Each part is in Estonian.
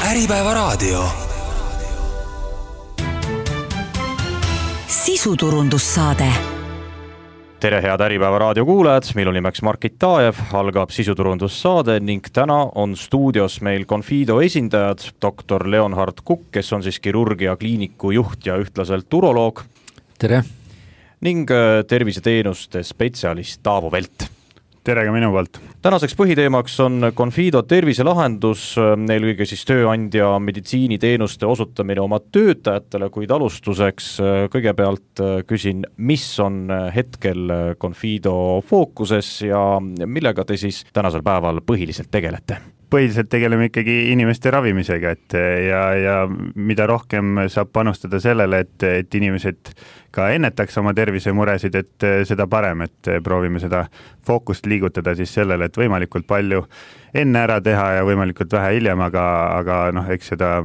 Äripäeva raadio. Sisuturundussaade. Tere, head Äripäeva raadio kuulajad, meil on nimeks Margit Taajev, algab sisuturundussaade ning täna on stuudios meil Confido esindajad, doktor Leonhard Kukk, kes on siis kirurgia kliiniku juht ja ühtlaselt uroloog. Tere! Ning terviseteenuste spetsialist Taavo Velt. Tere ka minu poolt. Tänaseks põhiteemaks on Confido terviselahendus, eelkõige siis tööandja meditsiiniteenuste osutamine oma töötajatele, kuid alustuseks kõigepealt küsin, mis on hetkel Confido fookuses ja millega te siis tänasel päeval põhiliselt tegelete? Põhiliselt tegeleme ikkagi inimeste ravimisega, ja mida rohkem saab panustada sellele, et inimesed ka ennetaks oma tervisemuresid, et seda parem, et proovime seda fookust liigutada siis sellele, et võimalikult palju enne ära teha ja võimalikult vähe hiljem, aga eks seda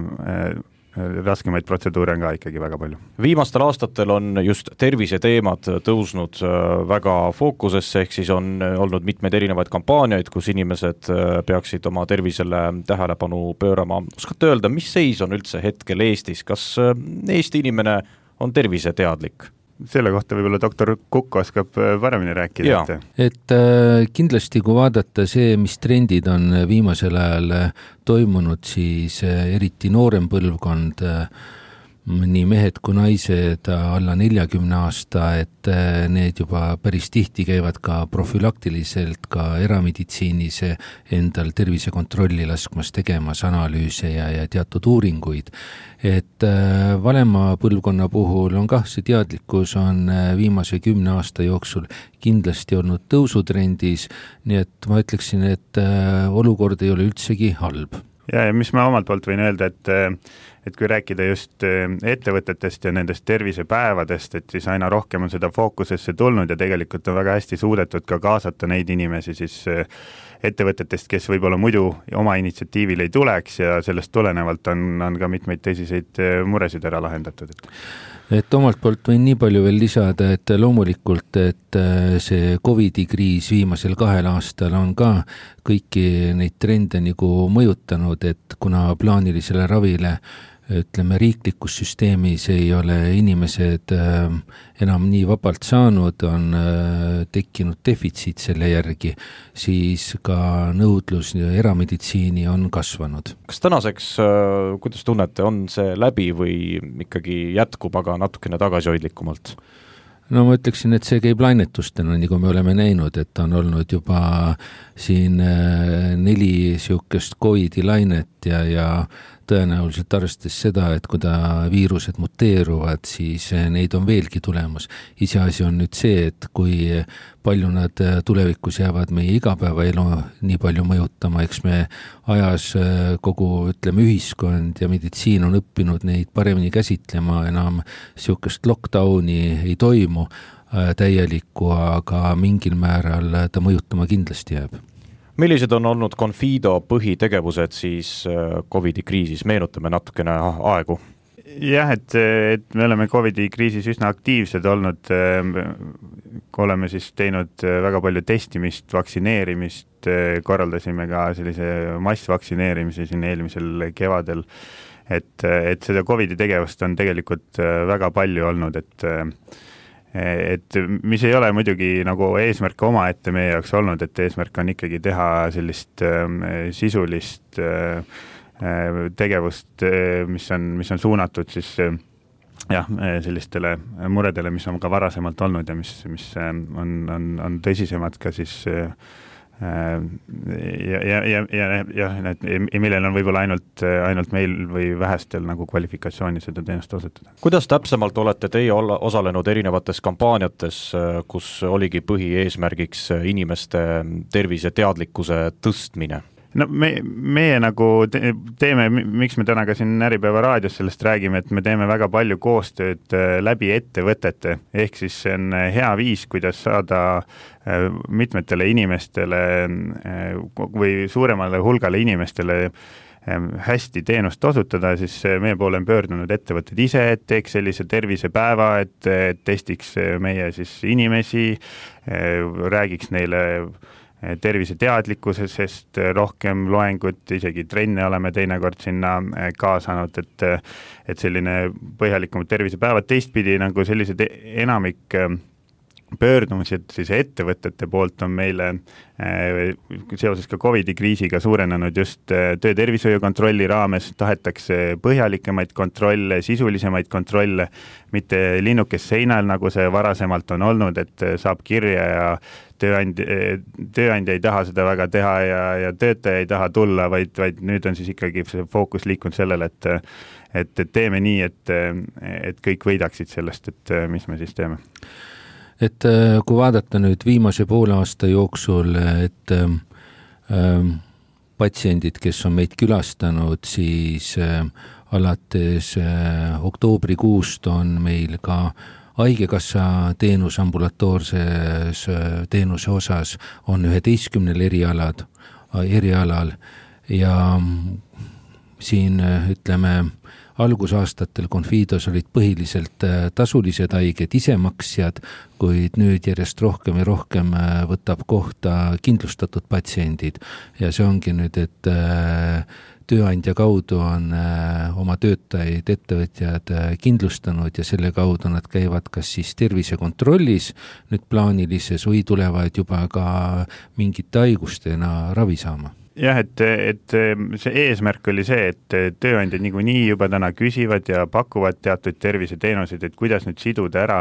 raskemaid protseduure on ka ikkagi väga palju. Viimastel aastatel on just terviseteemad tõusnud väga fookusesse, ehk siis on olnud mitmeid erinevaid kampaaniaid, kus inimesed peaksid oma tervisele tähelepanu pöörama. Oskate öelda, mis seis on üldse hetkel Eestis? Kas Eesti inimene on terviseteadlik? Selle kohta võib-olla doktor Kukk oskab paremini rääkida. Et kindlasti kui vaadata see, mis trendid on viimasel ajal toimunud, siis eriti noorem põlvkond, nii mehed kui naised alla 40 aasta, et need juba päris tihti käivad ka profülaktiliselt ka erameditsiinis endal tervisekontrolli laskmas tegemas analüüse ja teatud uuringuid. Et vanema põlvkonna puhul on see teadlikkus on viimase 10 aasta jooksul kindlasti olnud tõusutrendis, nii et ma ütleksin, et olukord ei ole üldsegi halb. Ja mis ma omalt poolt võin öelda, et kui rääkida just ettevõtetest ja nendest tervisepäevadest, et siis aina rohkem on seda fookusesse tulnud ja tegelikult on väga hästi suudetud ka kaasata neid inimesi siis ettevõtetest, kes võib-olla muidu oma initsiatiivil ei tuleks ja sellest tulenevalt on ka mitmeid tõsiseid muresid ära lahendatud. Et omalt poolt võin nii palju veel lisada, et loomulikult, et see COVID-kriis viimasel 2 aastal on ka kõiki neid trende nagu mõjutanud, et kuna plaanilisele ravile ütleme, riiklikus süsteemis ei ole inimesed enam nii vabalt saanud, on tekkinud defitsiit selle järgi, siis ka nõudlus erameditsiini on kasvanud. Kas tänaseks, kuidas tunnete, on see läbi või ikkagi jätkub, aga natukene tagasihoidlikumalt? No ma ütleksin, et see käib lainetustena, nagu me oleme näinud, et on olnud juba siin 4 siukest COVID-i lainet ja tõenäoliselt arvestades seda, et kui viirused muteeruvad, siis neid on veelgi tulemas. Iseasi on nüüd see, et kui palju nad tulevikus jäävad meie igapäevaelu nii palju mõjutama, eks me ajas kogu, ütleme, ühiskond ja meditsiin on õppinud neid paremini käsitlema, enam siukest lockdowni ei toimu täielikku, aga mingil määral ta mõjutama kindlasti jääb. Millised on olnud Confido põhitegevused siis COVID-i kriisis? Meenutame natukene aegu. Jah, et me oleme COVID-i kriisis üsna aktiivsed olnud. Oleme siis teinud väga palju testimist, vaktsineerimist, korraldasime ka sellise massvaktsineerimise siin eelmisel kevadel. Et seda COVID-i tegevust on tegelikult väga palju olnud, et mis ei ole muidugi nagu eesmärk oma ette meie jaoks olnud, et eesmärk on ikkagi teha sellist sisulist tegevust, mis on suunatud siis sellistele muredele, mis on ka varasemalt olnud ja mis on tõsisemad ka siis millel on võib-olla ainult meil või vähestel nagu kvalifikatsiooni seda teenust osutada. Kuidas täpsemalt olete teie osalenud erinevates kampaaniates, kus oligi põhieesmärgiks inimeste tervise teadlikkuse tõstmine? No meie nagu teeme, miks me täna ka siin Äripäeva raadios sellest räägime, et me teeme väga palju koostööd läbi ettevõtete, ehk siis see on hea viis, kuidas saada mitmetele inimestele või suuremale hulgale inimestele hästi teenust osutada, siis meie poole on pöördunud ettevõtted ise, et teeks sellise tervisepäeva, et testiks meie siis inimesi, räägiks neile terviseteadlikkusest rohkem loengut, isegi trenne oleme teinekord sinna kaasanud, et selline põhjalikum tervisepäevad. Teistpidi nagu sellised enamik pöördumused siis ettevõtete poolt on meile seoses ka COVID-i kriisiga suurenenud just töötervishoiu kontrolli raames, tahetakse põhjalikemaid kontrolle, sisulisemaid kontrolle, mitte linnukest seinal, nagu see varasemalt on olnud, et saab kirja ja tööandja ei taha seda väga teha ja töötaja ei taha tulla, vaid nüüd on siis ikkagi see fookus liikunud sellele, et teeme nii, et kõik võidaksid sellest, et mis me siis teeme. Et kui vaadata nüüd viimase poole aasta jooksul, et patsiendid, kes on meid külastanud, siis alates oktoobrikuust on meil ka haigekassa teenus ambulatoorses teenuse osas on 11 erialal ja siin ütleme algusaastatel Confidos olid põhiliselt tasulised haiged, isemaksjad, kuid nüüd järjest rohkem ja rohkem võtab kohta kindlustatud patsiendid ja see ongi nüüd, et tööandja kaudu on oma töötajaid, ettevõtjad kindlustanud ja selle kaudu nad käivad kas siis tervisekontrollis nüüd plaanilises või tulevad juba ka mingite haigustena ravi saama. Jah, et see eesmärk oli see, et tööandjad niikuinii juba täna küsivad ja pakuvad teatud terviseteenuseid, et kuidas nüüd siduda ära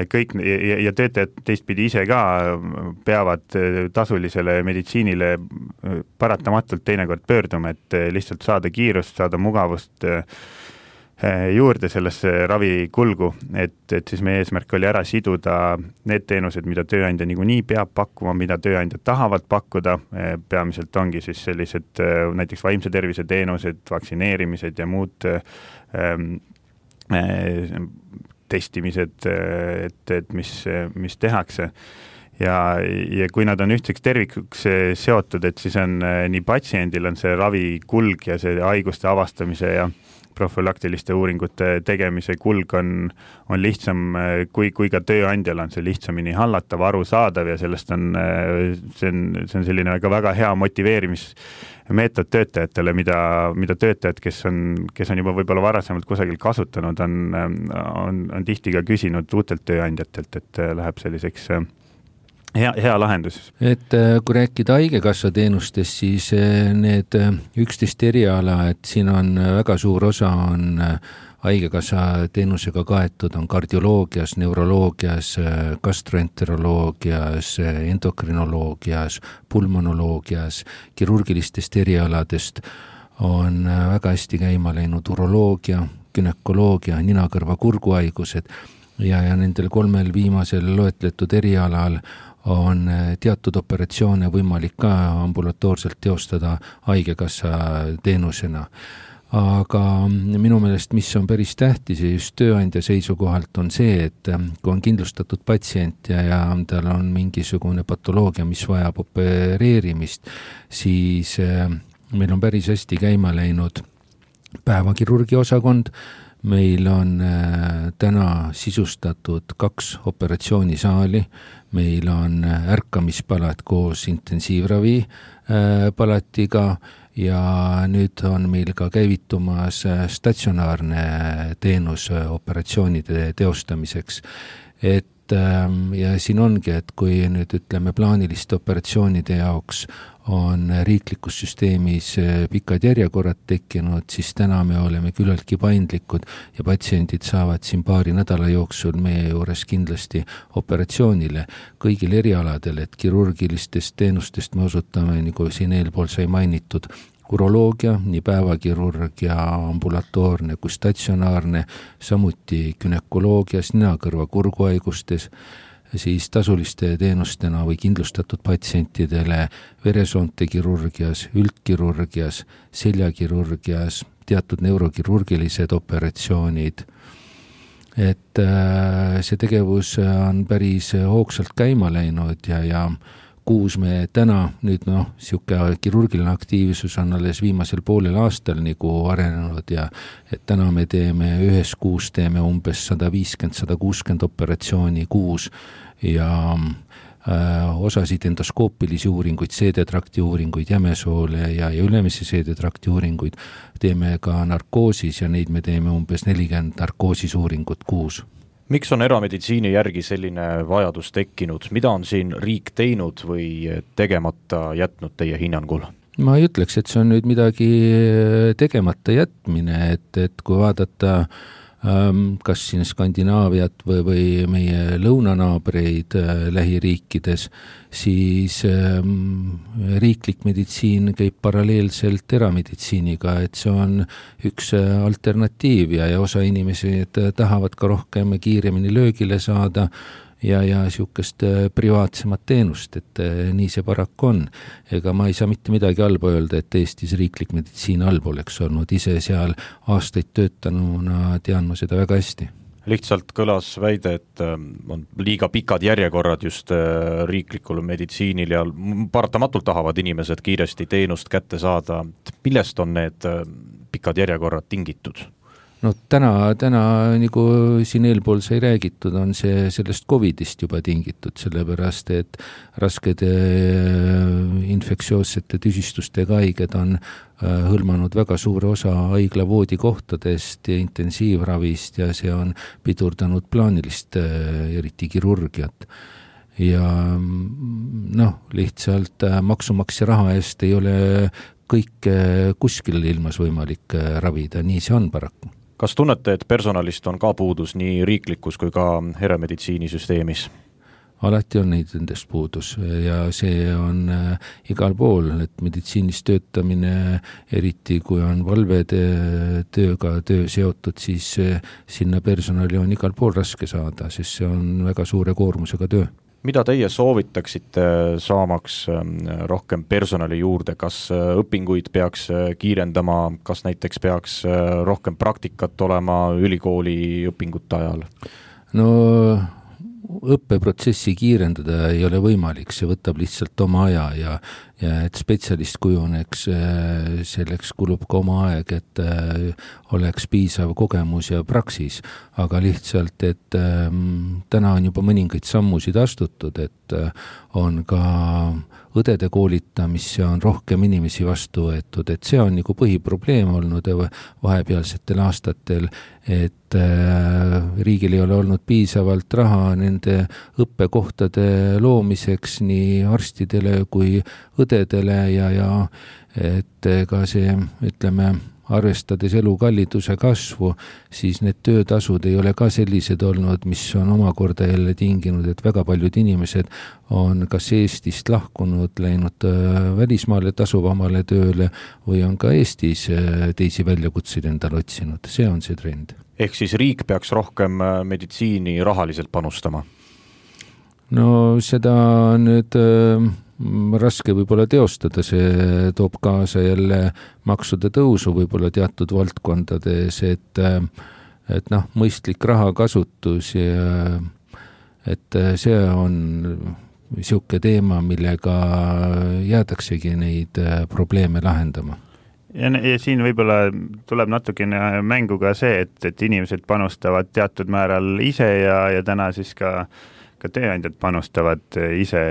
kõik ja töötajad teistpidi ise ka peavad tasulisele meditsiinile paratamatult teinekord pöörduma, et lihtsalt saada kiirust, saada mugavust juurde sellesse ravikulgu, et siis meie eesmärk oli ära siduda need teenused, mida tööandja niikuinii peab pakkuma, mida tööandjad tahavad pakkuda, peamiselt ongi siis sellised näiteks vaimse tervise teenused, vaktsineerimised ja muud testimised, et mis tehakse. Ja kui nad on ühtseks tervikuks seotud, et siis on nii patsiendil on see ravikulg ja see haiguste avastamise ja profülaktiliste uuringute tegemise kulg on lihtsam, kui ka tööandjal on see lihtsamini hallatav, arusaadav ja sellest on selline väga hea motiveerimismeetod töötajatele, mida töötajad, kes on juba võib-olla varasemalt kusagil kasutanud, on tihti ka küsinud uutelt tööandjatelt, et läheb selliseks hea lahendus. Et kui rääkida haigekassa teenustest, siis need 11 eriala, et siin on väga suur osa on haigekassa teenusega kaetud, on kardioloogias, neuroloogias, gastroenteroloogias, endokrinoloogias, pulmonoloogias, kirurgilistest erialadest on väga hästi käima läinud uroloogia, günekoloogia, nina-kõrva kurguhaigused ja nendel 3 viimasel loetletud erialal on teatud operatsioone võimalik ka ambulatoorselt teostada haigekassa teenusena. Aga minu meelest, mis on päris tähtis ja just tööandja seisukohalt on see, et kui on kindlustatud patsient ja tal on mingisugune patoloogia, mis vajab opereerimist, siis meil on päris hästi käima läinud päevakirurgi osakond. Meil on täna sisustatud 2 operatsioonisaali, meil on ärkamispalat koos intensiivravi palatiga ja nüüd on meil ka käivitumas statsionaarne teenus operatsioonide teostamiseks. Ja siin ongi, et kui nüüd ütleme plaaniliste operatsioonide jaoks on riiklikus süsteemis pikad järjekorrad tekkinud, siis täna me oleme küllaltki paindlikud ja patsiendid saavad siin paari nädala jooksul meie juures kindlasti operatsioonile kõigil erialadel, et kirurgilistest teenustest me osutame, nagu siin eelpool sai mainitud, uroloogia, nii päevakirurg ja ambulatoorne kui statsionaarne, samuti günekoloogias, nina-kõrva kurguhaigustes, siis tasuliste teenustena või kindlustatud patsientidele veresoonte kirurgias, üldkirurgias, seljakirurgias, teatud neurokirurgilised operatsioonid. Et see tegevus on päris hoogsalt käima läinud ja kuus me täna nüüd siuke kirurgiline aktiivsus on alles viimasel poolel aastal nagu arenenud ja et täna me teeme ühes kuus teeme umbes 150-160 operatsiooni kuus ja osasid endoskoopilisi uuringuid, seedetrakti uuringuid, jämesoole ja ülemise seedetrakti uuringuid, teeme ka narkoosis ja neid me teeme umbes 40 narkoosisuuringut kuus. Miks on erameditsiini järgi selline vajadus tekkinud? Mida on siin riik teinud või tegemata jätnud teie hinnangul? Ma ei ütleks, et see on nüüd midagi tegemata jätmine, et kui vaadata kas siin Skandinaaviat või meie lõunanaabreid lähiriikides, siis riiklik meditsiin käib paralleelselt erameditsiiniga, et see on üks alternatiiv ja osa inimesi tahavad ka rohkem kiiremini löögile saada ja niisugust privaatsemat teenust, et nii see paraku on. Ega ma ei saa mitte midagi halba öelda, et Eestis riiklik meditsiin halb oleks olnud. Ise seal aastaid töötanuna tean ma seda väga hästi. Lihtsalt kõlas väide, et on liiga pikad järjekorrad just riiklikul meditsiinil ja paratamatult tahavad inimesed kiiresti teenust kätte saada. Millest on need pikad järjekorrad tingitud? No täna nagu siin eelpool sai räägitud, on see sellest COVIDist juba tingitud, sellepärast et raskede infektsioossete tüsistustega haiged on hõlmanud väga suure osa haiglavoodikohtadest ja intensiivravist ja see on pidurdanud plaanilist, eriti kirurgiat. Ja lihtsalt maksumaksja raha eest ei ole kõik kuskil ilmas võimalik ravida, nii see on paraku. Kas tunnete, et personalist on ka puudus nii riiklikus kui ka erameditsiinisüsteemis? Alati on neid endast puudus ja see on igal pool, et meditsiinis töötamine, eriti kui on valvetööga töö seotud, siis sinna personali on igal pool raske saada, sest see on väga suure koormusega töö. Mida teie soovitaksite saamaks rohkem personali juurde? Kas õpinguid peaks kiirendama, kas näiteks peaks rohkem praktikat olema ülikooli õpingute ajal? No õppeprotsessi kiirendada ei ole võimalik, see võtab lihtsalt oma aja ja et spetsialist kujuneks, selleks kulub ka oma aeg, et oleks piisav kogemus ja praksis, aga lihtsalt, et täna on juba mõningaid sammusid astutud, et on ka õdede koolitamisse on rohkem inimesi vastu võetud, et see on nagu põhiprobleem olnud vahepealsetel aastatel, et riigil ei ole olnud piisavalt raha nende õppekohtade loomiseks nii arstidele kui õdedele ja et ka see, ütleme, arvestades elukalliduse kasvu, siis need töötasud ei ole ka sellised olnud, mis on omakorda jälle tinginud, et väga paljud inimesed on kas Eestist lahkunud, läinud välismaale tasuvamale tööle või on ka Eestis teisi väljakutseid endale otsinud. See on see trend. Ehk siis riik peaks rohkem meditsiini rahaliselt panustama? No seda nüüd raske võib-olla teostada, see toob kaasa jälle maksude tõusu võib-olla teatud valdkondades, et mõistlik rahakasutus ja et see on niisugune teema, millega jäädaksegi neid probleeme lahendama. Ja siin võib-olla tuleb natukene mängu ka see, et inimesed panustavad teatud määral ise ja täna siis ka tööandjad panustavad ise,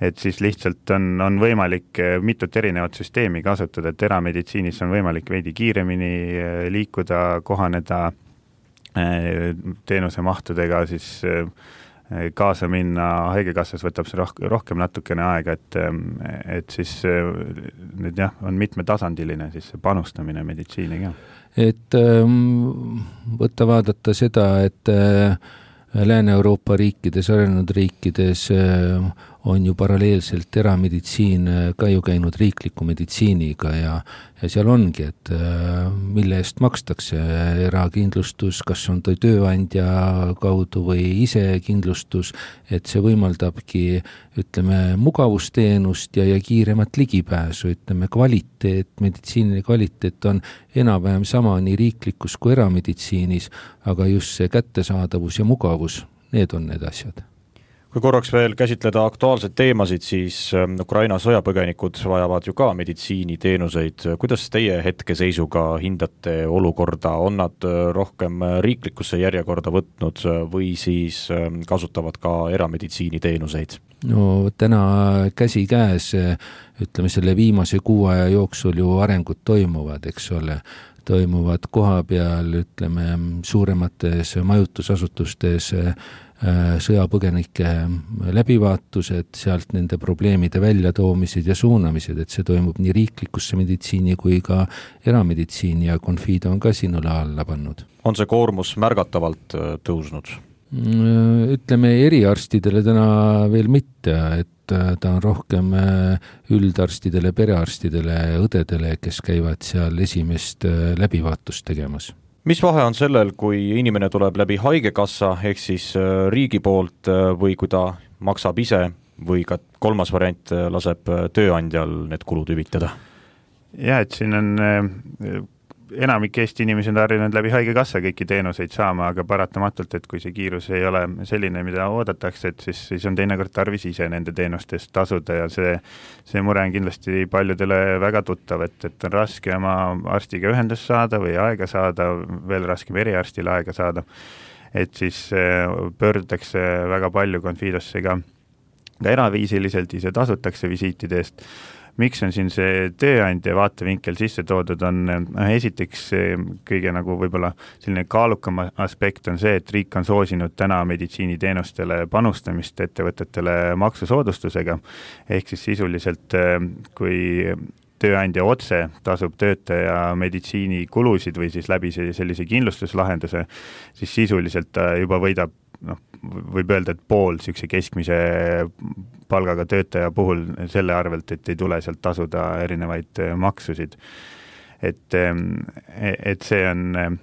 et siis lihtsalt on võimalik mitut erinevat süsteemi kasutada, et erameditsiinis on võimalik veidi kiiremini liikuda, kohaneda teenuse mahtudega, siis kaasa minna, haigekassas võtab see rohkem natukene aega, et siis nüüd on mitmetasandiline siis see panustamine meditsiiniga. Et võtta vaadata seda, et Lääne-Euroopa riikides, arenenud riikides on ju paralleelselt erameditsiin ka ju käinud riikliku meditsiiniga ja seal ongi, et mille eest makstakse erakindlustus, kas on tööandja kaudu või ise kindlustus, et see võimaldabki, ütleme, mugavusteenust ja kiiremat ligipääsu, ütleme, kvaliteet, meditsiiniline kvaliteet on enam-vähem sama nii riiklikus kui erameditsiinis, aga just see kättesaadavus ja mugavus, need on need asjad. Kui korraks veel käsitleda aktuaalseid teemasid, siis Ukraina sõjapõgenikud vajavad ju ka meditsiiniteenuseid. Kuidas teie hetkeseisuga hindate olukorda? On nad rohkem riiklikusse järjekorda võtnud või siis kasutavad ka erameditsiiniteenuseid? No täna käsi käes, ütleme selle viimase 6 aja jooksul ju arengud toimuvad, eks ole. Toimuvad koha peal, ütleme, suuremates majutusasutustes sõjapõgenike läbivaatused, sealt nende probleemide väljatoomised ja suunamised, et see toimub nii riiklikusse meditsiini kui ka erameditsiini ja Confido on ka sinule alla pannud. On see koormus märgatavalt tõusnud? Ütleme eriarstidele täna veel mitte, et ta on rohkem üldarstidele, perearstidele, õdedele, kes käivad seal esimest läbivaatust tegemas. Mis vahe on sellel, kui inimene tuleb läbi haigekassa ehk siis riigi poolt või kui ta maksab ise või ka kolmas variant laseb tööandjal need kulud hüvitada? Ja, et siin on enamik Eesti inimesi on harjunud läbi haigekassa kõiki teenuseid saama, aga paratamatult, et kui see kiirus ei ole selline, mida oodatakse, et siis on teinekord tarvis ise nende teenustest tasuda ja see mure on kindlasti paljudele väga tuttav, et on raske oma arstiga ühendust saada või aega saada, veel raskem eriarstile aega saada, et siis pöördutakse väga palju Confidosse ka eraviisiliselt, ise tasutakse visiitide eest. Miks on siin see tööandja vaatevinkel sisse toodud, on esiteks kõige nagu võib-olla selline kaalukam aspekt on see, et riik on soosinud täna meditsiiniteenustele panustamist ettevõtetele maksusoodustusega, ehk siis sisuliselt kui tööandja otse tasub töötaja meditsiinikulusid või siis läbi sellise kindlustuslahenduse, siis sisuliselt juba võidab, võib öelda, et pool sellise keskmise palgaga töötaja puhul selle arvelt, et ei tule sealt tasuda erinevaid maksusid. Et see on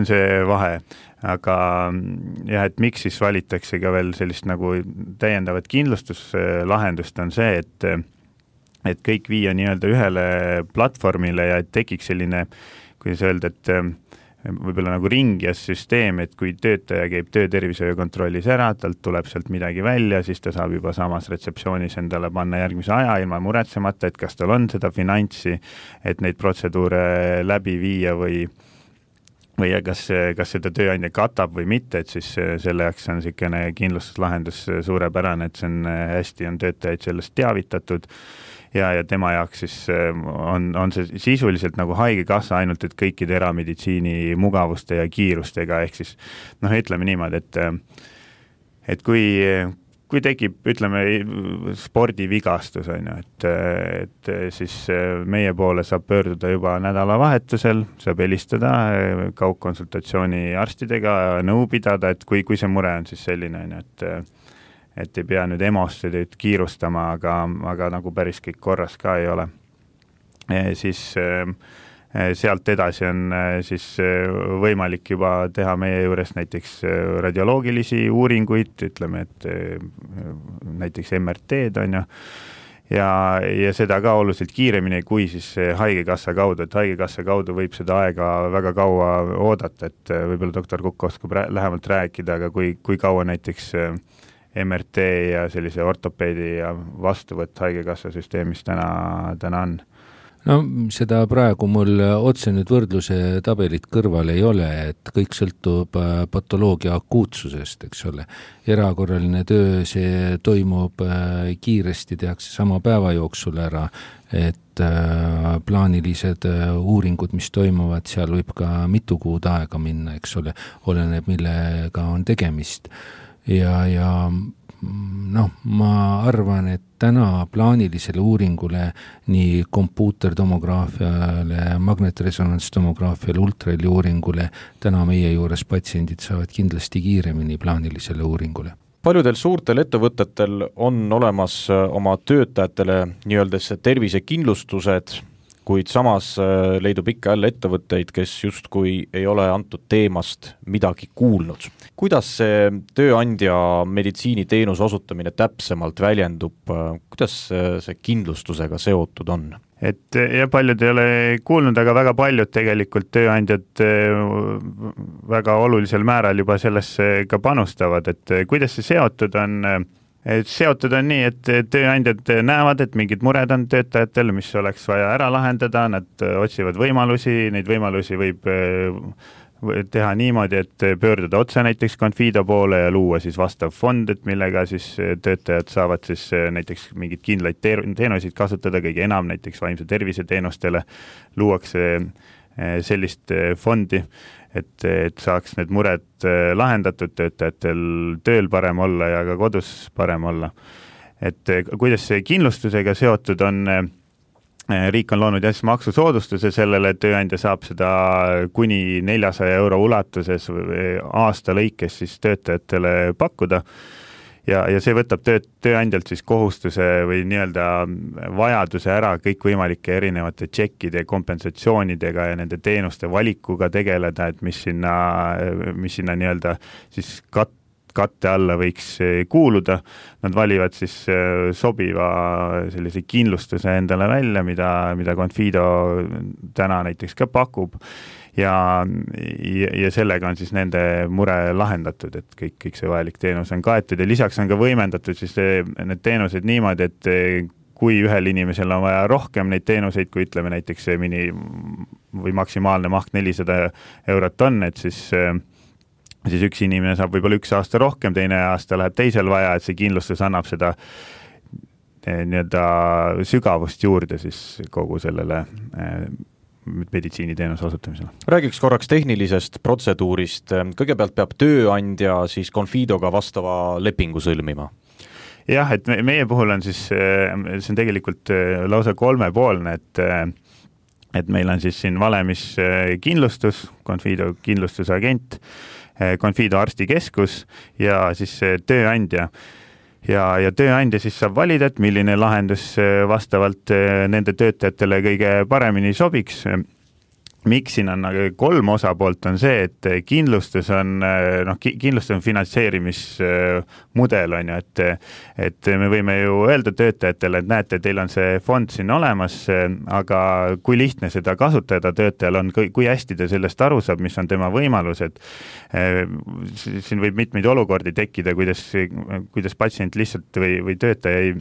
see vahe, aga jah, et miks siis valitakse ka veel sellist nagu täiendavat kindlustuslahendust on see, et kõik viia nii-öelda ühele platvormile ja et tekiks selline, kuidas öelda, et võib-olla nagu ringjas süsteem, et kui töötaja käib töötervishoiukontrollis ära, talt tuleb sealt midagi välja, siis ta saab juba samas retseptsioonis endale panna järgmise aja ilma muretsemata, et kas tal on seda finantsi, et neid protseduure läbi viia või kas seda tööandja katab või mitte, et siis selle jaoks on selline kindlustuslahendus suurepärane, et see on hästi, on töötajaid sellest teavitatud ja tema jaoks siis on see sisuliselt nagu haigekassa ainult, et kõikide erameditsiini mugavuste ja kiirustega, ehk siis ütleme niimoodi, et kui tekib, ütleme, spordivigastus, et siis meie poole saab pöörduda juba nädalavahetusel, saab helistada kaugkonsultatsiooni arstidega, nõu pidada, et kui see mure on siis selline, et ei pea nüüd EMO-sse kiirustama, aga nagu päris kõik korras ka ei ole. Siis sealt edasi on siis võimalik juba teha meie juures näiteks radioloogilisi uuringuid, ütleme, et näiteks MRT-d on ju, ja seda ka oluliselt kiiremini kui siis haigekassa kaudu, et haigekassa kaudu võib seda aega väga kaua oodata, et võib-olla doktor Kukk oskab lähemalt rääkida, aga kui kaua näiteks MRT ja sellise ortopeedi ja vastuvõtt haigekassa süsteemis täna on? No seda praegu mul otse nüüd võrdluse tabelit kõrval ei ole, et kõik sõltub patoloogia akuutsusest, eks ole. Erakorraline töö, see toimub kiiresti, tehakse sama päeva jooksul ära, et plaanilised uuringud, mis toimuvad, seal võib ka mitu kuud aega minna, eks ole, oleneb millega on tegemist. Ja ma arvan, et täna plaanilisele uuringule nii kompuutertomograafiale, magnetresonantstomograafiale, ultraheli uuringule täna meie juures patsiendid saavad kindlasti kiiremini plaanilisele uuringule. Paljudel suurtel ettevõtetel on olemas oma töötajatele nii-öelda tervisekindlustused. kuid samas leidub ikka jälle ettevõtteid, kes justkui ei ole antud teemast midagi kuulnud. Kuidas see tööandja meditsiiniteenuse osutamine täpsemalt väljendub, kuidas see kindlustusega seotud on? Et ja paljud ei ole kuulnud, aga väga paljud tegelikult tööandjad väga olulisel määral juba sellesse ka panustavad, et kuidas see seotud on. Seotud on nii, et tööandjad näevad, et mingid mured on töötajatel, mis oleks vaja ära lahendada, nad otsivad võimalusi, neid võimalusi võib teha niimoodi, et pöörduda otse näiteks Confido poole ja luua siis vastav fond, et millega siis töötajad saavad siis näiteks mingid kindlaid teenuseid kasutada, kõige enam näiteks vaimse tervise teenustele luuakse sellist fondi, et saaks need mured lahendatud, töötajatel tööl parem olla ja ka kodus parem olla. Et kuidas see kindlustusega seotud on, riik on loonud maksusoodustuse sellele, et tööandja saab seda kuni 400 € ulatuses aasta lõikes siis töötajatele pakkuda. Ja see võtab tööandjalt siis kohustuse või nii-öelda vajaduse ära kõikvõimalike erinevate tšekkide, kompensatsioonidega ja nende teenuste valikuga tegeleda, et mis sinna nii-öelda siis katte alla võiks kuuluda. Nad valivad siis sobiva sellise kindlustuse endale välja, mida Confido täna näiteks ka pakub. Ja sellega on siis nende mure lahendatud, et kõik see vajalik teenus on kaetud ja lisaks on ka võimendatud siis need teenused niimoodi, et kui ühel inimesel on vaja rohkem neid teenuseid, kui ütleme näiteks või maksimaalne maht 400 € on, et siis üks inimene saab võib-olla 1 aasta rohkem, teine aasta läheb teisel vaja, et see kindlustus annab seda nii-öelda sügavust juurde siis kogu sellele meditsiiniteenuse osutamisele. Räägiks korraks tehnilisest protseduurist. Kõigepealt peab tööandja siis Confidoga vastava lepingu sõlmima. Jah, et meie puhul on siis, see on tegelikult lausa 3-poolne, et meil on siis siin valemis kindlustus, Confido kindlustusagent, Confido arstikeskus ja siis tööandja. Ja tööandja siis saab valida, et milline lahendus vastavalt nende töötajatele kõige paremini sobiks. Miks siin on 3 osapoolt on see, et kindlustus on finantseerimismudel on ju, et me võime ju öelda töötajatele, et näete, teil on see fond siin olemas, aga kui lihtne seda kasutada töötajal on, kui hästi ta sellest aru saab, mis on tema võimalused. Siin võib mitmeid olukordi tekkida, kuidas patsient lihtsalt või töötaja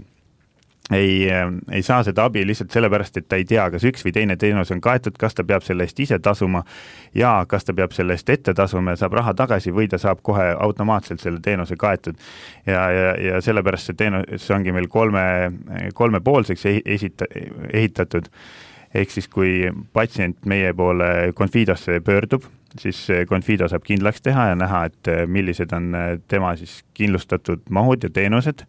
ei saa seda abi lihtsalt sellepärast, et ta ei tea, kas üks või teine teenus on kaetud, kas ta peab selle eest ise tasuma ja kas ta peab selle eest ette tasuma ja saab raha tagasi või ta saab kohe automaatselt selle teenuse kaetud. Ja sellepärast see teenus ongi meil kolmepoolseks ehitatud. Ehk siis kui patsient meie poole Confidosse pöördub, siis Confido saab kindlaks teha ja näha, et millised on tema siis kindlustatud mahud ja teenused.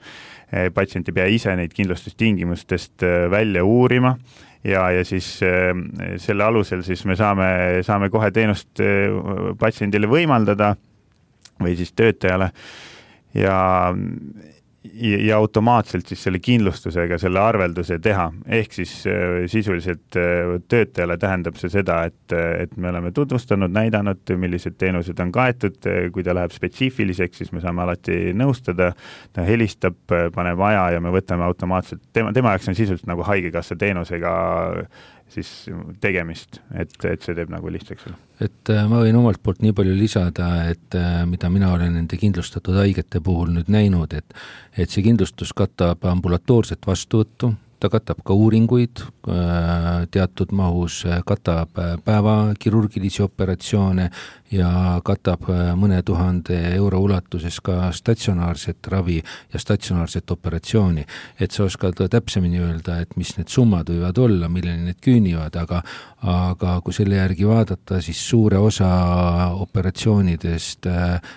Patsient ei pea ise neid kindlustustingimustest välja uurima ja siis selle alusel siis me saame kohe teenust patsiendile võimaldada või siis töötajale ja automaatselt siis selle kindlustusega selle arvelduse teha. Ehk siis sisuliselt töötajale tähendab see seda, et me oleme tutvustanud, näidanud, millised teenused on kaetud, kui ta läheb spetsiifiliseks, siis me saame alati nõustada, ta helistab, paneb aja ja me võtame automaatselt, tema jaoks on sisuliselt nagu haigekassa teenusega siis tegemist, et see teeb nagu lihtsaks. Et ma võin omalt poolt nii palju lisada, et mida mina olen nende kindlustatud haigete puhul nüüd näinud, et see kindlustus katab ambulatoorset vastuvõttu, ta katab ka uuringuid teatud mahus, katab päevakirurgilisi operatsioone ja katab mõne 1000 € ulatuses ka statsionaarset ravi ja statsionaarset operatsiooni. Et sa oskad täpsemini öelda, et mis need summad võivad olla, milleni need küünivad, aga kui selle järgi vaadata, siis suure osa operatsioonidest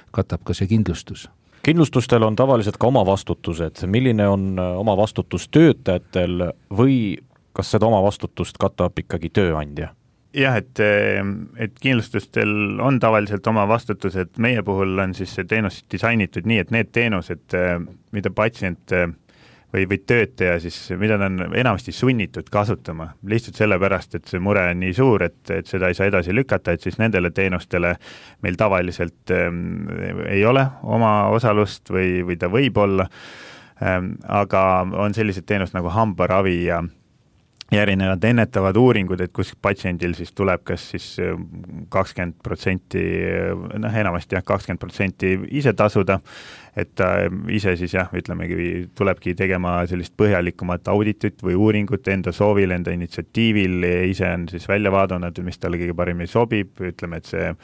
katab ka see kindlustus. Kindlustustel on tavaliselt ka oma vastutused. Milline on oma vastutus töötajatel või kas seda oma vastutust katab ikkagi tööandja? Jah, et kindlustustel on tavaliselt oma vastutused. Meie puhul on siis see teenus disainitud nii, et need teenused, mida patsient või töötaja siis, mida ta on enamasti sunnitud kasutama, lihtsalt sellepärast, et see mure on nii suur, et seda ei saa edasi lükata, et siis nendele teenustele meil tavaliselt ei ole oma osalust või ta võib olla, aga on sellised teenused nagu hambaravi ja erinevad ennetavad uuringud, et kus patsiendil siis tuleb kas siis 20%, enamasti 20% ise tasuda, et ta ise siis ütlemegi, tulebki tegema sellist põhjalikumat auditit või uuringut enda soovil, enda initsiatiivil, ise on siis välja vaadanud, mis talle kõige paremini sobib, ütleme, et see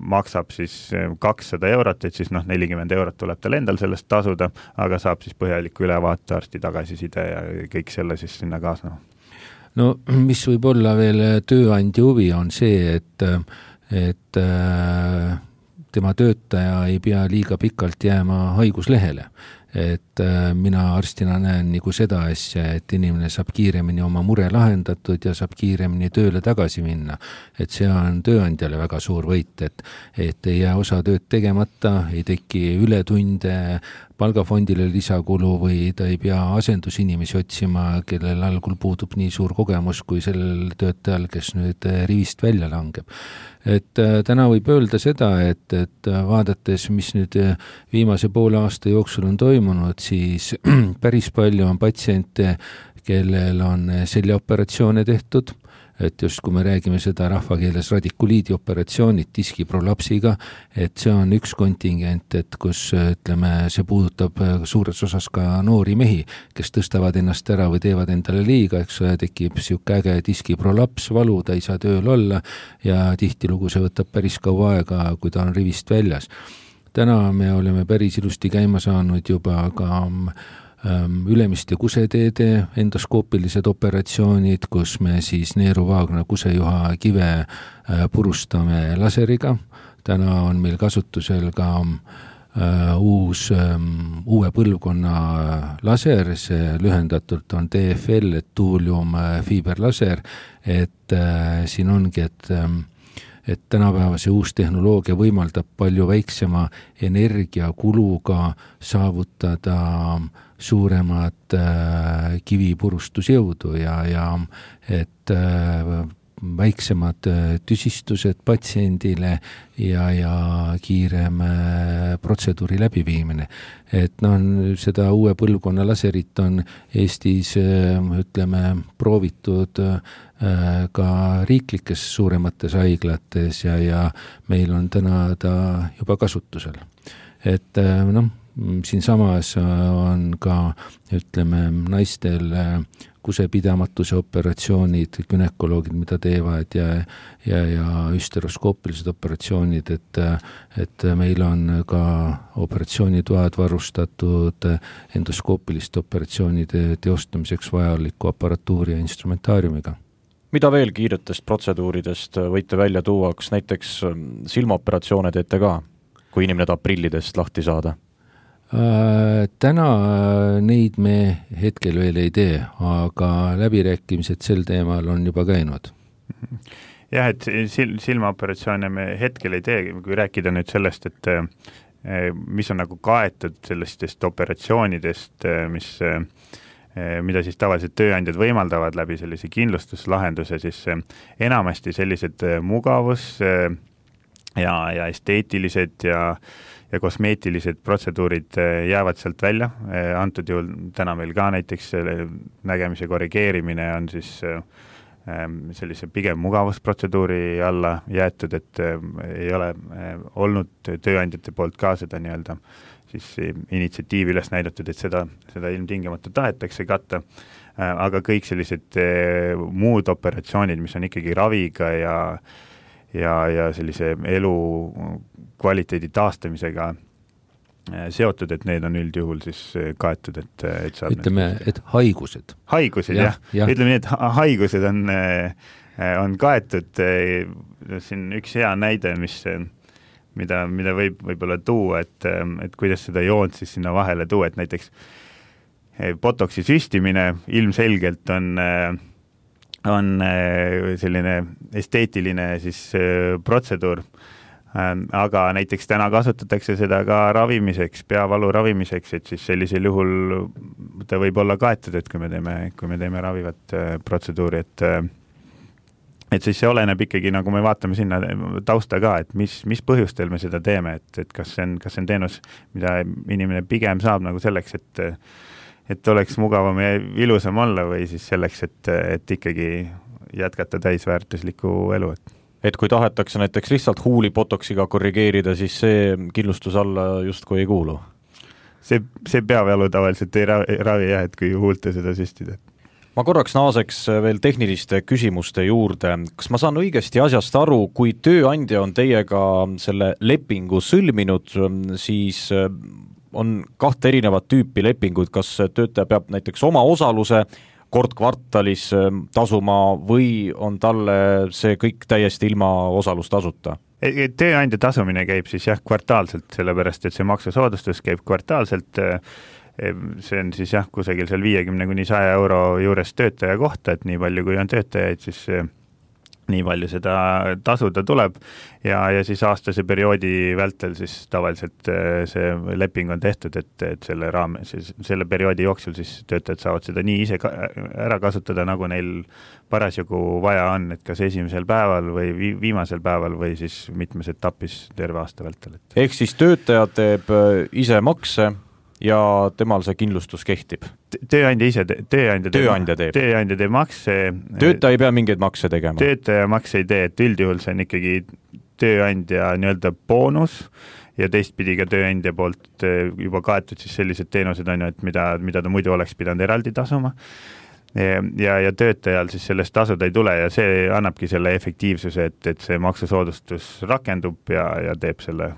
maksab siis 200 €, et siis 40 € tuleb tal endal sellest tasuda, aga saab siis põhjaliku ülevaate, arsti tagasiside ja kõik selle siis sinna kaasneva. No mis võib olla veel tööandja huvi on see, et tema töötaja ei pea liiga pikalt jääma haiguslehele. Et mina arstina näen nagu seda asja, et inimene saab kiiremini oma mure lahendatud ja saab kiiremini tööle tagasi minna. Et see on tööandjale väga suur võit, et ei jää osa tööd tegemata, ei teki ületunde, palgafondile lisakulu või ta ei pea asendusinimesi otsima, kellel algul puudub nii suur kogemus kui sellel töötajal, kes nüüd rivist välja langeb. Et täna võib öelda seda, et vaadates, mis nüüd viimase poole aasta jooksul on toimunud, siis päris palju on patsiente, kellel on seljaoperatsioone tehtud, et just kui me räägime seda rahvakeeles radikuliidi operatsioonid diskiprolapsiga, et see on üks kontingent, et kus ütleme, see puudutab suures osas ka noori mehi, kes tõstavad ennast ära või teevad endale liiga, eks tekib siuke äge diskiprolaps, valu, ta ei saa tööl olla ja tihtilugu see võtab päris kaua aega, kui ta on rivist väljas. Täna me oleme päris ilusti käima saanud juba ka ülemiste kuseteede endoskoopilised operatsioonid, kus me siis neeruvaagna kusejuha kive purustame laseriga. Täna on meil kasutusel ka uue põlvkonna laser, see lühendatult on TFL, et tuulium fiiberlaser, et siin ongi, et tänapäeva see uus tehnoloogia võimaldab palju väiksema energiakuluga saavutada suuremat kivipurustusjõudu ja et väiksemad tüsistused patsiendile ja kiirem protseduuri läbiviimine. Et seda uue põlvkonna laserit on Eestis, ütleme, proovitud ka riiklikes suuremates haiglates ja meil on täna ta juba kasutusel. Et siin samas on ka, ütleme, naistel kusepidamatuse operatsioonid, gynekoloogid, mida teevad ja üsteroskoopilised operatsioonid, et meil on ka operatsioonitoad varustatud endoskoopiliste operatsioonide teostamiseks vajaliku aparatuuri ja instrumentaariumiga. Mida veel kiiretest protseduuridest võite välja tuua, kas näiteks silmaoperatsioone teete ka, kui inimene tahab prillidest lahti saada? Täna neid me hetkel veel ei tee, aga läbirääkimised sel teemal on juba käinud. Jah, et silmaoperatsioone me hetkel ei tee, kui rääkida nüüd sellest, et mis on nagu kaetud sellistest operatsioonidest, mida siis tavaliselt tööandjad võimaldavad läbi sellise kindlustuslahenduse, siis enamasti sellised mugavus ja esteetilised ja kosmeetilised protseduurid jäävad sealt välja. Antud juhul täna meil ka näiteks nägemise korrigeerimine on siis sellise pigem mugavusprotseduuri alla jäetud, et ei ole olnud tööandjate poolt ka seda nii-öelda siis initsiatiivi üles näidatud, et seda ilmtingimata tahetakse katta, aga kõik sellised muud operatsioonid, mis on ikkagi raviga ja sellise elu kvaliteedi taastamisega seotud, et need on üldjuhul siis kaetud, et saab ütleme, et haigused. Haigused, jah. Ütleme nii, et haigused on kaetud. Siin üks hea näide, mida võib-olla tuua, et kuidas seda joont siis sinna vahele tuua, et näiteks botoksi süstimine ilmselgelt on selline esteetiline siis protseduur, aga näiteks täna kasutatakse seda ka ravimiseks, peavalu ravimiseks, et siis sellisel juhul ta võib olla kaetud, et kui me teeme ravivat protseduuri, et siis see oleneb ikkagi, nagu me vaatame sinna tausta ka, et mis põhjustel me seda teeme, et kas see on teenus, mida inimene pigem saab nagu selleks, et oleks mugavam ja ilusam olla või siis selleks, et ikkagi jätkata täisväärtuslikku elu. Et kui tahetakse näiteks lihtsalt huuli botoksiga korrigeerida, siis see kindlustus alla justkui ei kuulu? See peavalu tavaliselt ei ravi jah, et kui huulte seda süstida. Ma korraks naaseks veel tehniliste küsimuste juurde. Kas ma saan õigesti asjast aru, kui tööandja on teiega selle lepingu sõlminud, siis on 2 erinevat tüüpi lepingud, kas töötaja peab näiteks oma osaluse kord kvartalis tasuma või on talle see kõik täiesti ilma osalustasuta? Tööandja tasumine käib siis jah kvartaalselt, sellepärast et see maksusoodustus käib kvartaalselt. See on siis jah kusagil seal 50–100 euro juures töötaja kohta, et nii palju kui on töötajaid, siis nii palju seda tasuda tuleb ja siis aastase perioodi vältel siis tavaliselt see leping on tehtud, et selle perioodi jooksul siis töötajad saavad seda nii ise ära kasutada, nagu neil parasjagu vaja on, et kas esimesel päeval või viimasel päeval või siis mitmes etapis terve aasta vältel. Ehk siis töötaja teeb ise makse ja temal see kindlustus kehtib? Tööandja teeb makse. Töötaja ei pea mingeid makse tegema? Töötaja makse ei tee, et üldjuhul see on ikkagi tööandja nii-öelda boonus ja teistpidi ka tööandja poolt juba kaetud siis sellised teenused on ju, et mida ta muidu oleks pidanud eraldi tasuma. Ja töötajal siis sellest tasuda ei tule ja see annabki selle efektiivsuse, et see maksusoodustus rakendub ja teeb selle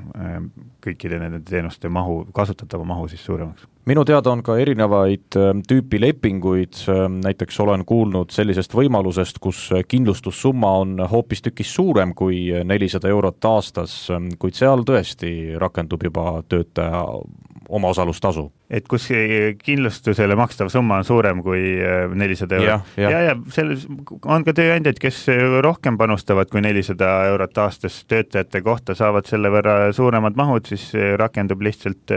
kõikide nende teenuste kasutatava mahu siis suuremaks. Minu teada on ka erinevaid tüüpi lepinguid, näiteks olen kuulnud sellisest võimalusest, kus kindlustussumma on hoopis tükis suurem kui 400 eurot aastas, kuid seal tõesti rakendub juba töötaja omaosalustasu. Et kus kindlustusele makstav summa on suurem kui 400 eurot. Ja selles on ka tööandjad, kes rohkem panustavad kui 400 eurot aastas töötajate kohta, saavad selle võrra suuremad mahud, siis rakendub lihtsalt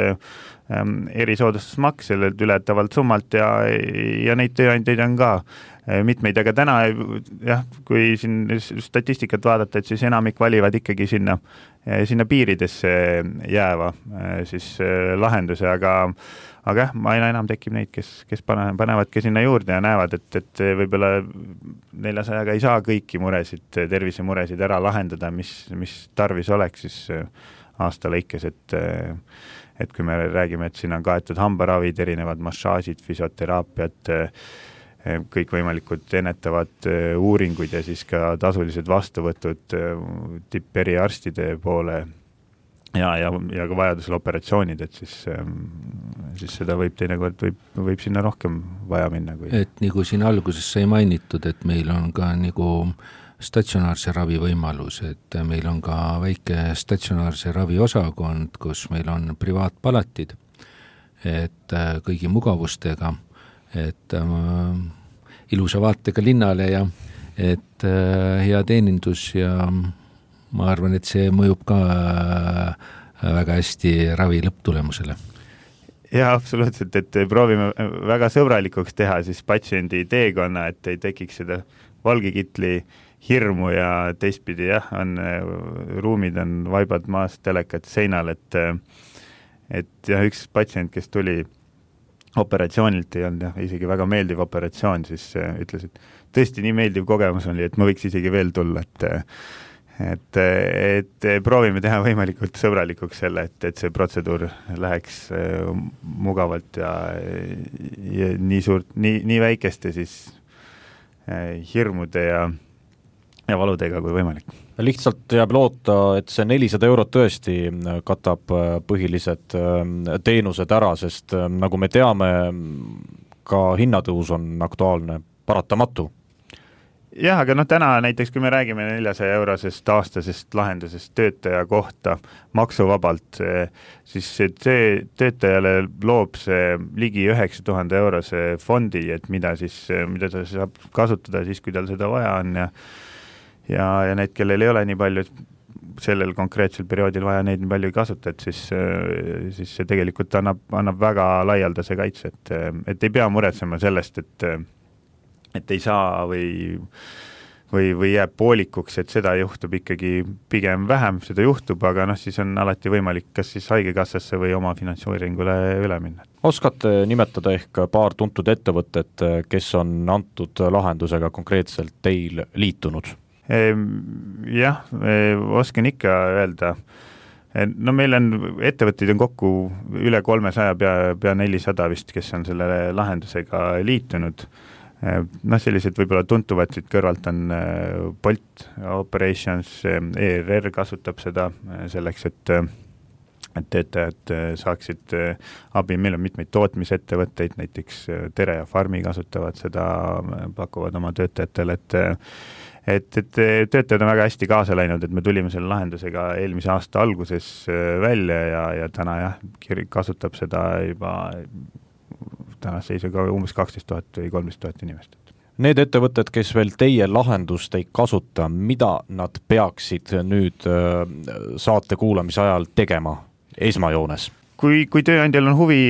erisoodustusmaks sellelt ületavalt summalt ja neid tööandjaid on ka mitmeid, aga täna jah, kui siin statistikat vaadata, et siis enamik valivad ikkagi sinna piiridesse jääva siis lahenduse, aga jah, aina enam tekib neid, kes panevadki sinna juurde ja näevad, et võib-olla 400-ga ei saa kõiki muresid, tervisemuresid ära lahendada, mis tarvis oleks siis aasta lõikes, et kui me räägime, et siin on kaetud hambaravid, erinevad massaažid, füsioteraapiad, kõikvõimalikud ennetavad uuringud ja siis ka tasulised vastuvõtud tipperiarstide poole ja ka vajadusel operatsioonid, et siis seda võib teinekord võib sinna rohkem vaja minna. Et nagu siin alguses sai mainitud, et meil on ka nagu statsionaarse ravi võimalus, et meil on ka väike statsionaarse ravi osakond, kus meil on privaatpalatid, et kõigi mugavustega, et ilusa vaatega linnale ja et hea teenindus ja ma arvan, et see mõjub ka väga hästi ravi lõpptulemusele. Ja absoluutselt, et proovime väga sõbralikuks teha siis patsiendi teekonna, et ei tekiks seda valgekitli hirmu ja teistpidi jah, ruumid on vaibad maast, telekad seinal, et jah, üks patsient, kes tuli operatsioonilt, ei olnud isegi väga meeldiv operatsioon, siis ütles, et tõesti nii meeldiv kogemus oli, et ma võiks isegi veel tulla, et proovime teha võimalikult sõbralikuks selle, et see protseduur läheks mugavalt ja nii väikeste siis hirmude ja valudega kui võimalik. Lihtsalt jääb loota, et see 400 eurot tõesti katab põhilised teenused ära, sest nagu me teame, ka hinnatõus on aktuaalne, paratamatu. Jah, aga täna näiteks, kui me räägime 400 eurosest aastasest lahendusest töötaja kohta maksuvabalt, siis see töötajale loob see ligi 9000 eurose fondi, et mida ta saab kasutada siis, kui tal seda vaja on ja need, kellel ei ole nii palju sellel konkreetsel perioodil vaja neid nii palju ei kasuta, et siis see tegelikult annab väga laialdase kaitse, et ei pea muretsema sellest, et ei saa või jääb poolikuks, et seda juhtub ikkagi pigem vähem, seda juhtub, aga siis on alati võimalik kas siis haigekassasse või oma finantseeringule üle minna. Oskate nimetada ehk paar tuntud ettevõtet, kes on antud lahendusega konkreetselt teil liitunud? Jah, oskan ikka öelda. No meil on ettevõtteid on kokku üle 300, pea 400 vist, kes on selle lahendusega liitunud. Sellised võib-olla tuntuvad siit kõrvalt on Bolt Operations, ERR kasutab seda selleks, et töötajad saaksid abi, meil on mitmeid tootmisettevõtteid, näiteks Tere ja Farmi kasutavad seda, pakuvad oma töötajatele, et töötajad on väga hästi kaasa läinud, et me tulime selle lahendusega eelmise aasta alguses välja ja täna kasutab seda juba tänase seisuga umbes 12 000 või 13 000 inimest. Need ettevõtted, kes veel teie lahendust ei kasuta, mida nad peaksid nüüd saate kuulamise ajal tegema esmajoones? Kui tööandjal on huvi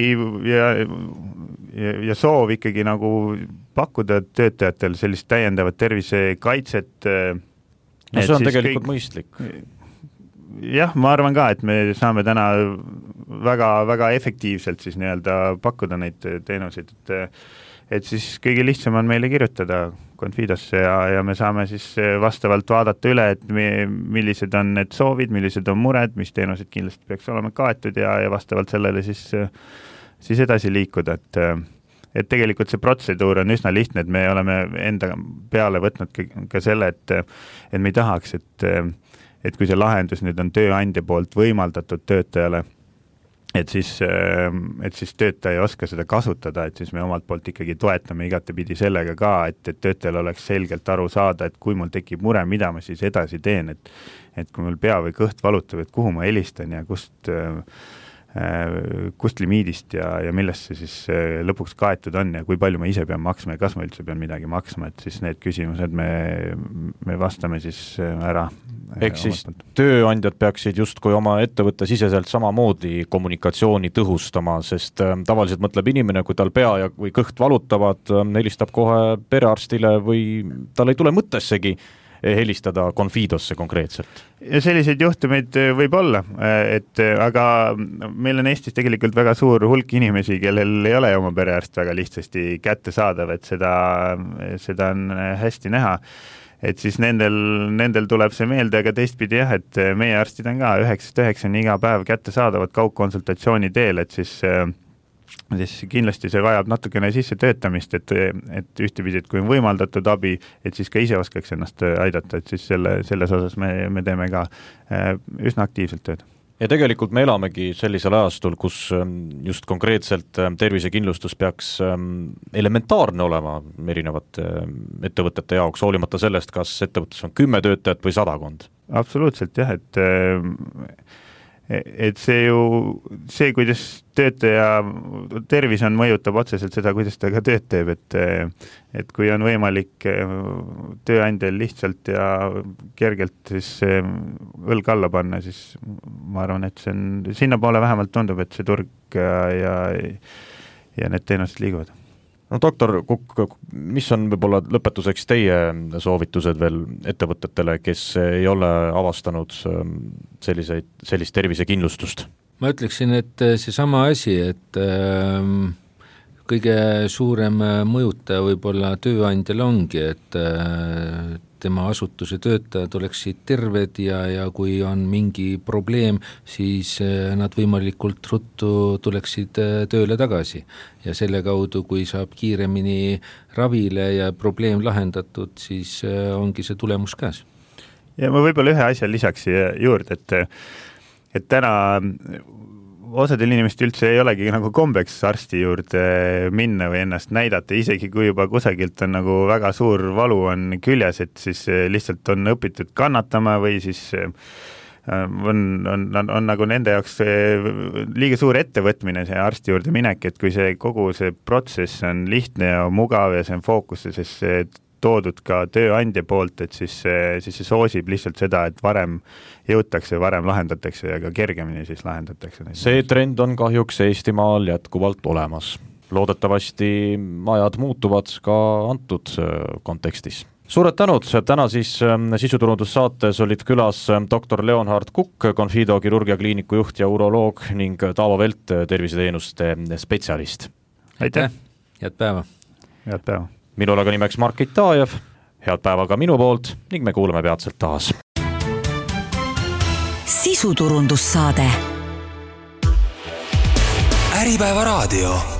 ja soov ikkagi nagu pakkuda töötajatel sellist täiendavat tervisekaitset. No see on tegelikult mõistlik. Jah, ma arvan ka, et me saame täna väga efektiivselt siis nii-öelda pakkuda neid teenuseid, et siis kõige lihtsam on meile kirjutada Confidosse ja me saame siis vastavalt vaadata üle, et millised on need soovid, millised on mured, mis teenused kindlasti peaks olema kaetud ja vastavalt sellele siis edasi liikuda, et tegelikult see protseduur on üsna lihtne, et me oleme enda peale võtnud ka selle, et me ei tahaks, et kui see lahendus nüüd on tööandja poolt võimaldatud töötajale, et siis töötaja ei oska seda kasutada, et siis me omalt poolt ikkagi toetame igatepidi sellega ka, et töötajal oleks selgelt aru saada, et kui mul tekib mure, mida ma siis edasi teen, et kui mul pea või kõht valutab, et kuhu ma helistan ja kust limiidist ja millest see siis lõpuks kaetud on ja kui palju ma ise pean maksma ja kas ma üldse pean midagi maksma, et siis need küsimused me vastame siis ära. Ehk siis tööandjad peaksid justkui oma ettevõtte siseselt samamoodi kommunikatsiooni tõhustama, sest tavaliselt mõtleb inimene, kui tal pea või kõht valutavad, helistab kohe perearstile või tal ei tule mõttessegi helistada Confidosse konkreetselt. Ja selliseid juhtumeid võib olla, aga meil on Eestis tegelikult väga suur hulk inimesi, kellel ei ole oma perearst väga lihtsasti kätte saadav, et seda on hästi näha, et siis nendel tuleb see meelde, aga teistpidi jah, et meie arstid on ka 9-9 iga päev kätte saadavad kaugkonsultatsiooni teel, et siis kindlasti see vajab natukene sisse töötamist, et ühtepidi, et kui on võimaldatud abi, et siis ka ise oskaks ennast aidata, et siis selles osas me teeme ka üsna aktiivselt tööd. Ja tegelikult me elamegi sellisel ajastul, kus just konkreetselt tervisekindlustus peaks elementaarne olema erinevate ettevõtete jaoks, hoolimata sellest, kas ettevõttes on 10 töötajat või 100. Absoluutselt jah, et see, kuidas töötaja tervis on, mõjutab otseselt seda, kuidas ta ka tööd teeb, et kui on võimalik tööandjal lihtsalt ja kergelt siis õlg alla panna, siis ma arvan, et see on, sinna poole vähemalt tundub, et see turg ja need teenused liiguvad. No doktor Kukk, mis on võib-olla lõpetuseks teie soovitused veel ettevõtetele, kes ei ole avastanud sellist tervisekindlustust? Ma ütleksin, et seesama asi, et kõige suurem mõjutaja võib-olla tööandjal ongi, et tema asutuse töötajad oleksid terved ja kui on mingi probleem, siis nad võimalikult ruttu tuleksid tööle tagasi. Ja selle kaudu, kui saab kiiremini ravile ja probleem lahendatud, siis ongi see tulemus käes. Ja ma võib-olla ühe asja lisaks juurde, et täna osadel inimest üldse ei olegi nagu kombeks arsti juurde minna või ennast näidata, isegi kui juba kusagilt on nagu väga suur valu on küljes, et siis lihtsalt on õpitud kannatama või siis on nagu nende jaoks liiga suur ettevõtmine see arsti juurde minek, et kui kogu see protsess on lihtne ja mugav ja see on fookuses, toodud ka tööandja poolt, et siis see soosib lihtsalt seda, et varem jõutakse, varem lahendatakse ja ka kergemini siis lahendatakse. See trend on kahjuks Eestimaal jätkuvalt olemas. Loodetavasti ajad muutuvad ka antud kontekstis. Suured tänud, täna siis sisuturundussaates olid külas doktor Leonhard Kukk, Confido kirurgiakliiniku juht ja uroloog ning Taavo Velt, terviseteenuste spetsialist. Aitäh! Head päeva! Head päeva! Minul aga nimeks Mark Itajev, head päeva ka minu poolt ning me kuuleme peatselt taas. Sisuturundussaade. Äripäeva raadio.